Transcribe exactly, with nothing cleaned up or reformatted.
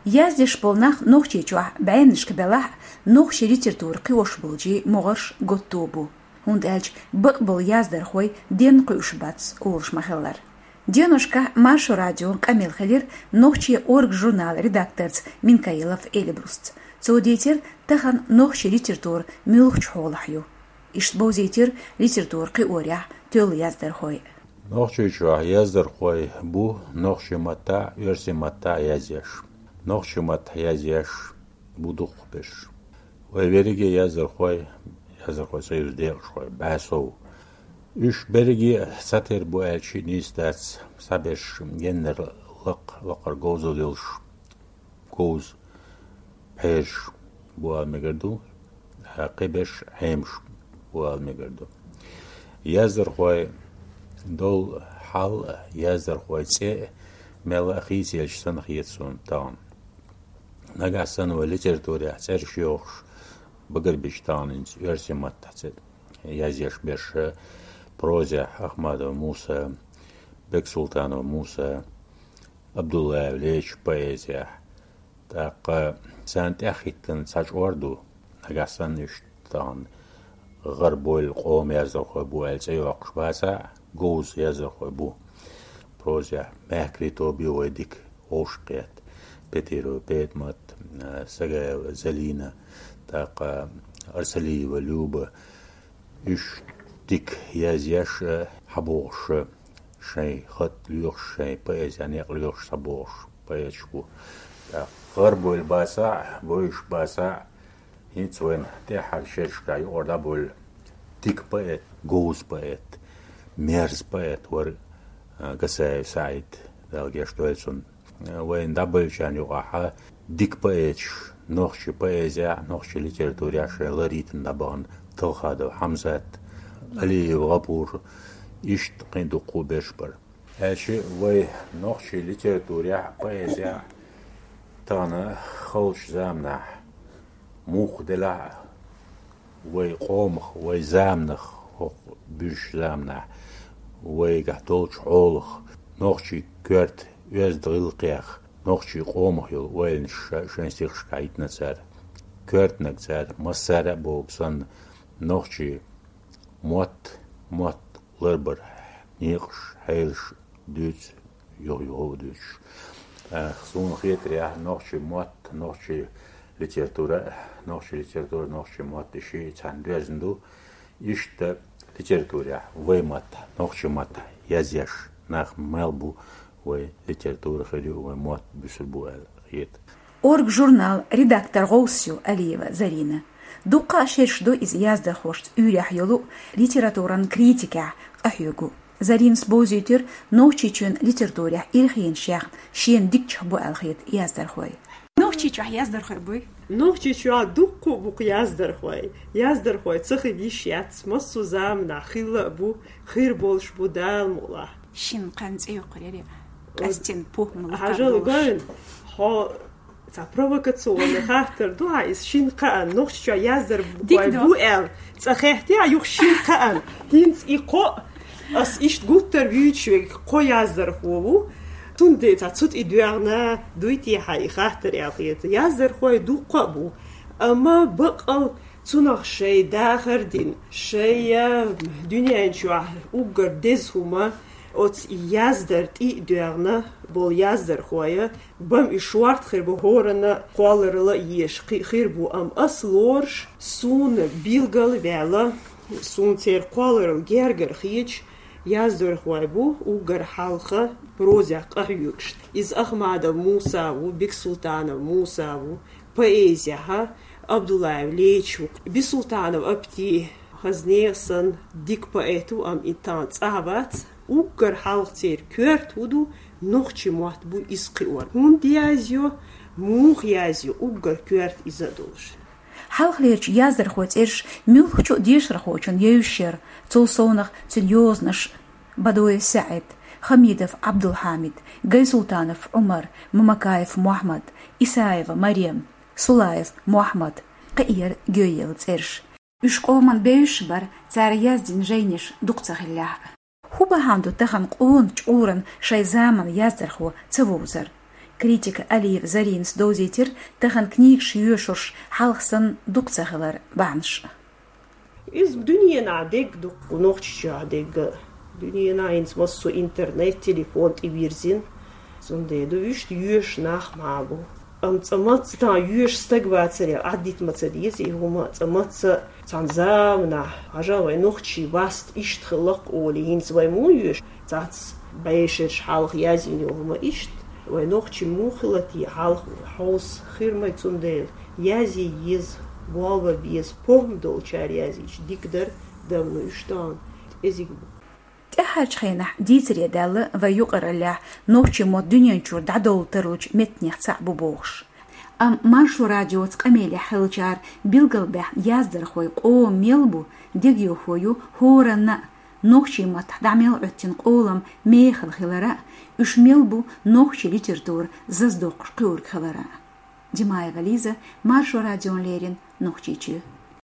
Яздеш болу нах Нохчийчохь бӀеннашка белахь а, нохчийн литература кхиош болчийн могӀарш готто бу. ХӀунда аьлча бакъболу яздархой денна кхуьуш бац, олуш ма-хиллара. Деношкахь Маршо радион къамел хилира нохчийн «Орга» журналан редакторца Минкаилов Эльбрусца. Цо дийцира тахана нохчийн литература муьлхачу хьолахь ю. Иштта бовзийтира литература кхиорехь тоьлла яздархой. Нохчийчохь яздархой бу нохчийн маттахь а, оьрсийн маттахь а язъеш. Нохчийн маттахь язъеш бу дукхахберш. Вай верриге яздархой, яздархой союзан декъашхой, бӀе сов. Уьш берриге а цхьатера бу аьлча а нийса дац, цхьаберш геннара лакха, лакхара говзалла йолуш, говза пхьераш бу ала мегар ду, ткъа кхиберш Ӏемаш бу ала мегар ду. Яздархойн долу хьал а, яздархойн цӀе а мелла а хийцаелча санна хета суна тахана. Нагахь санна вай литературехь цӀераш йохуш багарбича тахана хӀинца оьрсийн маттахь цӀе язъеш берш, прозехь Ахмадов Муса, Бексултанов Муса, Абдуллаев Леча, поэзехь. ТӀаккха царна тӀаьхьахӀиттина цхьа чкъор ду, нагахь санна уьш тахана гӀарабойла къоман яздархой бу аьлла цӀе йоккхуш бацахь а, говза яздархой бу. Прозехь мехкарийн тоба ю вай дика вовшахкхетта: Петирова ПетӀамат, Сагаева Залина, тӀаккха Арсалиева Люба. Уьш дика язъеш а, хьабогӀуш а, шайн хатӀ лоьхуш, шайн поэзин некъ лоьхуш схьабогӀуш поэташ бу. ТӀаккха гӀарабойла бацахь а, бовзуш бацахь а, хӀинца вайна тӀаьххьара шерашкахь юкъара дӀабевлла дика поэт, говза поэт, мерза поэт вара, а, Гасаев СаӀид, Дала гечдойла цунна. Вайна дӀабевллачарна юкъахь дика поэташ, нохчийн поэзехь а, нохчийн литературехь а шайн лар йитина дӀабахана Талхадов Хьамзат, Алиев ГӀапур, иштта кхин а дуккха а берш бара. Аьлча вай нохчийн литературехь а, поэзехь а тахана халчу заманахь муха делахь а, вай къомах, вай заманах, хӀокху буьрса заманахь, вайгахь долчу хьолах, нохчийн коьрта оьзда гӀиллакхех, нохчийн къомах йолу ойланаш ша-, шайн стихашкахь йитина цара. Коьртаниг цара массара а бохург санна, нохчийн мотт, мотт ларбар некъаш, хьелаш дуьйцу, юха-юха а дуьйцуш. Э, суна хетарехь, нохчийн мотт, нохчийн литература, нохчийн литература, нохчийн мотт и шиъ цхьаьна доьзна ду. Иштта литературехь вай маттахь, нохчийн маттахь язъеш нах мел бу, вай литература хир ю, вай мотт буьсур бу аьлла хета. «Орга» журналан редактор гӀовс ю Алиева Зарина. Дуккха а шераш ду иза яздархошца уьйрехь йолу, литературан критикехь къахьоьгу. Заринас бовзийтира Нохчийчоьнан литературехь ирхенаш яьхна шена дикачех бу аьлла хета яздархой. Нохчийчохь яздархой буй? Нохчийчохь дуккха а бу-кх яздархой. Яздархой ца хила йиш яц, массо а заманахь хилла а бу, хир болуш бу, Дала мукъалахь. Шина кхаьъна цӀе йоккхур яра, къаьстина похӀма лакхара долуш. Хьажал гойн, хьо цхьа провокационный хаттар ду хьан иза, шина кхаьъна, Нохчийчохь яздархой бу аьлла, цкъа хеттехь юха шина кхаьъна. ХӀинца и кхоъ, ас иштта гуттар а вуьйцуш верг кхо яздархо ву. Цундела цхьа цу тӀе доьгӀна дуй те хьан и хаттар аьлла хета. Яздархой дуккха а бу, амма баккъал цунах шайн дахар дина, шайн дуьнен чохь уггар деза хӀума оцу яздар тӀе а доьгӀна болу яздархой, бам и шорта хир бу, хӀоранна кхолларалла а езаш кхин а хир бу, амма ас лоруш, суна билгал а ваьлла, суна церан кхолларалла гергара хеташ, яздархой бу уггар хьалха прозехь къахьоьгуш. Иза Ахмадов Муса ву, Бексултанов Муса ву, поэзехь Абдуллаев Леча ву, Бисултанов Апти, хазне а санна, дика поэт ву, амма и тахана цӀахь вац. Уггар хьалха церан коьрта хӀун ду, нохчийн мотт бу иза кхиор. ХӀунда язйо, муха язйо, уггар коьрта иза а долуш. Хьалхалерчу яздархойн цӀераш муьлххачу а дешархочунна евзаш яра, цул совнах цуьнан йозанаш Бадоев СаӀид, Хамидов Ӏабдулхьамид, Гайсултанов Ӏумар, Мамакаев Мохьмад, Исаева Марем, Сулаев Мохьмад, кхиъера гойъелла цӀераш. Уьш къоман бевзаш бара, цара яздина жайнаш дукха ца хиллехь а. ХӀун бахьана ду тахана къона чкъуран шайн заманан яздархо ца вовзар? Критика Алиева Заринас довзийтира тахан книгаш йоьшурш хьалха санна дукха ца хилар бахьанаш. Иза дуьненахь дегга дукха, Нохчийчохь дегга. Дуьненахь хӀинца массо интернет, телефон тӀевирзина. Цундела ду вуьшта йоьшу нах ма бу. Амма цкъа мацца тахана йоьшу стаг вацаре, Ӏаддита ма ца деза и хӀума, цкъа мацца цхьана заманахь, хьажа, вай нохчий васт иштта хилла-кх олий, хӀинца вай муха йоьшу? Цац бӀешераш хьалха язйина йолу хӀума иштта, вай нохчий муха хилла те хьалха, хьовса хир ма ю, цундела язъе еза, болх бан беза, похӀма долчара язйича дика дара, дан ма ю уьш тахана, кӀезиг бу. ТӀаьхьарчу хенахь дийцаре даьлла вай юкъараллехь нохчийн мотт дуьнен чуьра дӀадовла тарлучу меттанех цхьаъ бу бохуш. Амма Маршо радиоца къамелехь хиллачара билгалбаьхна яздархой къоман мел бу, дегайовхо ю хӀоранна а, нохчийн маттахь дӀа мел Ӏоьттина къолам мехала хилар а, уьш мел бу нохчийн литература заздоккхуш кхуьург хилар а. Димаева Лиза, Маршо радиона леррина, Нохчийчоь.